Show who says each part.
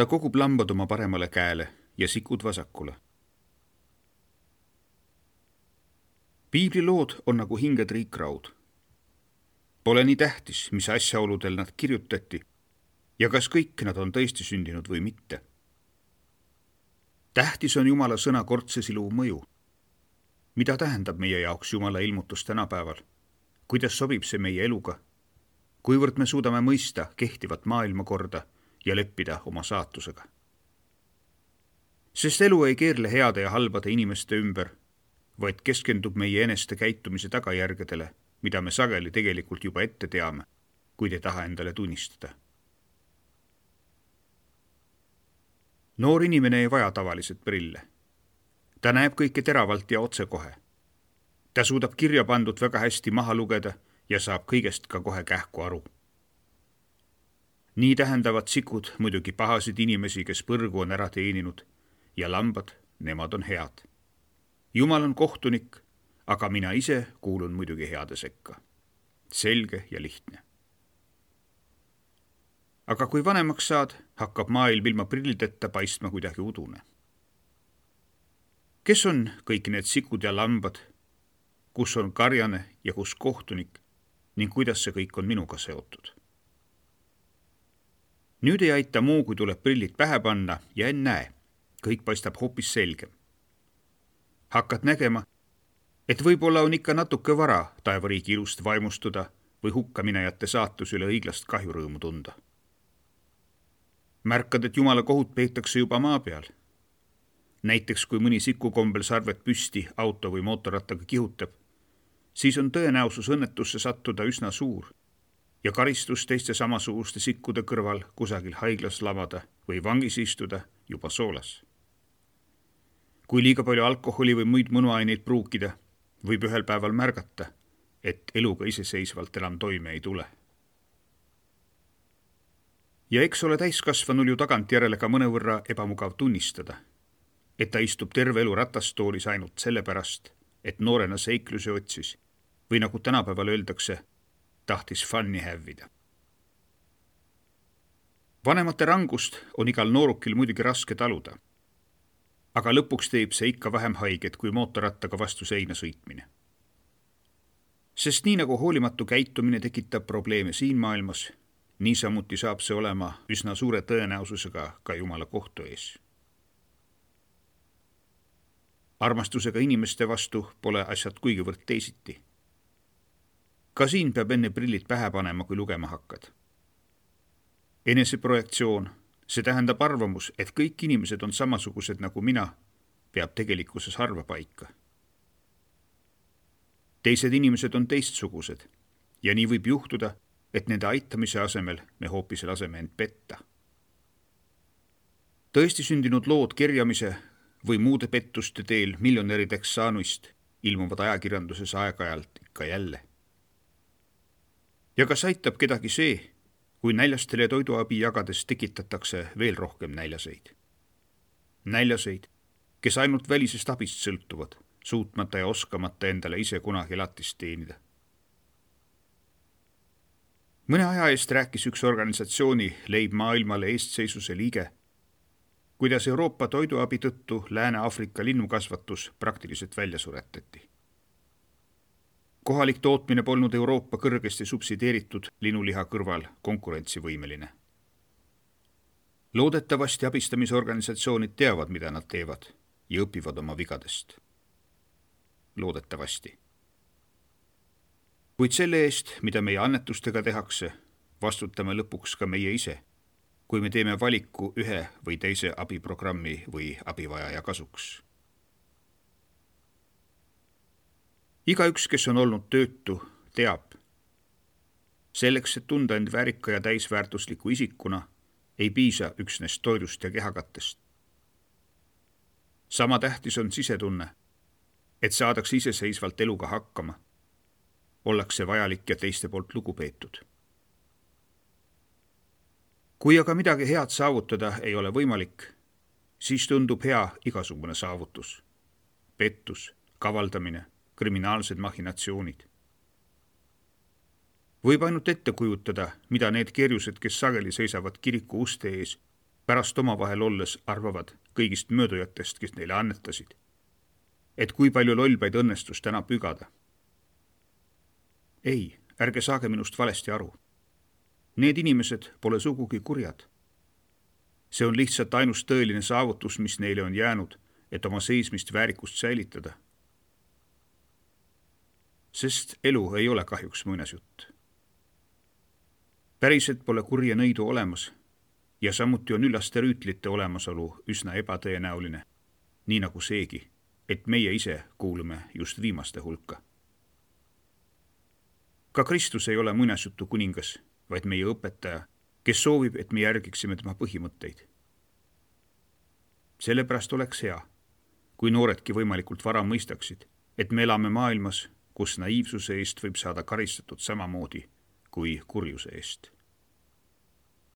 Speaker 1: Ta kogub lambad oma paremale käele ja sikud vasakule. Piiblilood on nagu hingetriikraud. Pole nii tähtis, mis asjaoludel nad kirjutati ja kas kõik nad on tõesti sündinud või mitte. Tähtis on Jumala sõna kordsesiluv mõju. Mida tähendab meie jaoks Jumala ilmutus tänapäeval? Kuidas sobib see meie eluga? Kuivõrd me suudame mõista kehtivat maailmakorda ja leppida oma saatusega? Sest elu ei keerle heade ja halbade inimeste ümber, vaid keskendub meie eneste käitumise tagajärgedele, mida me sageli tegelikult juba ette teame, kuid ei taha endale tunnistada. Noor inimene ei vaja tavaliselt prille. Ta näeb kõike teravalt ja otsekohe. Ta suudab kirja pandud väga hästi maha lugeda ja saab kõigest ka kohe kähku aru. Nii tähendavad sikud muidugi pahasid inimesi, kes põrgu on ära teeninud, ja lambad, nemad on head. Jumal on kohtunik, aga mina ise kuulun muidugi heade sekka. Selge ja lihtne. Aga kui vanemaks saad, hakkab maailm ilma prillideta paistma kuidagi udune. Kes on kõik need sikud ja lambad, kus on karjane ja kus kohtunik ning kuidas see kõik on minuga seotud? Nüüd ei aita muu, kui tuleb prillid pähe panna ja ennäe, kõik paistab hoopis selgem. Hakkad nägema, et võib-olla on ikka natuke vara taevariigi ilust vaimustuda või hukkaminejate saatus üle õiglast kahjurõõmu tunda. Märkad, et Jumala kohut peetakse juba maa peal. Näiteks, kui mõni sikukombel sarvet püsti auto või mootorrattaga kihutab, siis on tõenäosus õnnetusse sattuda üsna suur ja karistus teiste samasuguste sikkude kõrval kusagil haiglas lamada või vangis istuda juba soolas. Kui liiga palju alkoholi või muid mõnuaineid pruukida, võib ühel päeval märgata, et eluga iseseisvalt enam toime ei tule. Ja eks ole täiskasvanul ju tagantjärele ka mõnevõrra ebamugav tunnistada, et ta istub terve elu ratastoolis ainult sellepärast, et noorena seikluse otsis või nagu tänapäeval öeldakse, tahtis funni hävida. Vanemate rangust on igal noorukil muidugi raske taluda, aga lõpuks teeb see ikka vähem haiget kui mootorrattaga vastu seina sõitmine. Sest nii nagu hoolimatu käitumine tekitab probleeme siin maailmas, niisamuti saab see olema üsna suure tõenäosusega ka Jumala kohtu ees. Armastusega inimeste vastu pole asjad kuigivõrd teisiti. Ka siin peab enne prillid pähe panema, kui lugema hakkad. Eneseprojektsioon, see tähendab arvamus, et kõik inimesed on samasugused nagu mina, peab tegelikkuses harva paika. Teised inimesed on teistsugused ja nii võib juhtuda, et nende aitamise asemel me hoopis laseme end petta. Tõesti sündinud lood kerjamise või muude pettuste teel miljonärideks saanuist ilmuvad ajakirjanduses aeg-ajalt ikka jälle. Ja kas aitab kedagi see, kui näljastele toiduabi jagades tekitatakse veel rohkem näljaseid? Näljaseid, kes ainult välisest abist sõltuvad, suutmata ja oskamata endale ise kunagi elatist teenida. Mõne aja eest rääkis üks organisatsiooni Leib maailmale eestseisuse liige, kuidas Euroopa toiduabi tõttu Lääne-Aafrika linnukasvatus praktiliselt välja suretati. Kohalik tootmine polnud Euroopa kõrgesti subsideeritud linuliha kõrval konkurentsivõimeline. Loodetavasti abistamisorganisatsioonid teavad, mida nad teevad ja õpivad oma vigadest. Loodetavasti. Kuid selle eest, mida meie annetustega tehakse, vastutame lõpuks ka meie ise, kui me teeme valiku ühe või teise abiprogrammi või abivajaja kasuks. Igaüks, kes on olnud töötu, teab. Selleks, et tunda end väärika ja täisväärtusliku isikuna, ei piisa üksnes toidust ja kehakattest. Sama tähtis on sisetunne, et saadakse iseseisvalt eluga hakkama. Ollakse vajalik ja teiste poolt lugupeetud. Kui aga midagi head saavutada ei ole võimalik, siis tundub hea igasugune saavutus. Pettus, kavaldamine, kriminaalsed machinatsioonid. Võib ainult ette kujutada, mida need kerjused, kes sageli seisavad kiriku uste ees, pärast omavahel olles arvavad kõigist möödujatest, kes neile annetasid, et kui palju lollbaid õnnestus täna pügada. Ei, ärge saage minust valesti aru. Need inimesed pole sugugi kurjad. See on lihtsalt ainus tõeline saavutus, mis neile on jäänud, et oma seismist väärikust säilitada. Sest elu ei ole kahjuks muinasjutt. Päriselt pole kurja nõidu olemas ja samuti on üllaste rüütlite olemasolu üsna ebatõenäoline, nii nagu seegi, et meie ise kuulume just viimaste hulka. Ka Kristus ei ole muinasjutu kuningas, vaid meie õpetaja, kes soovib, et me järgiksime tema põhimõtteid. Sellepärast oleks hea, kui nooredki võimalikult vara mõistaksid, et me elame maailmas, kus naiivsuse eest võib saada karistatud samamoodi kui kurjuse eest.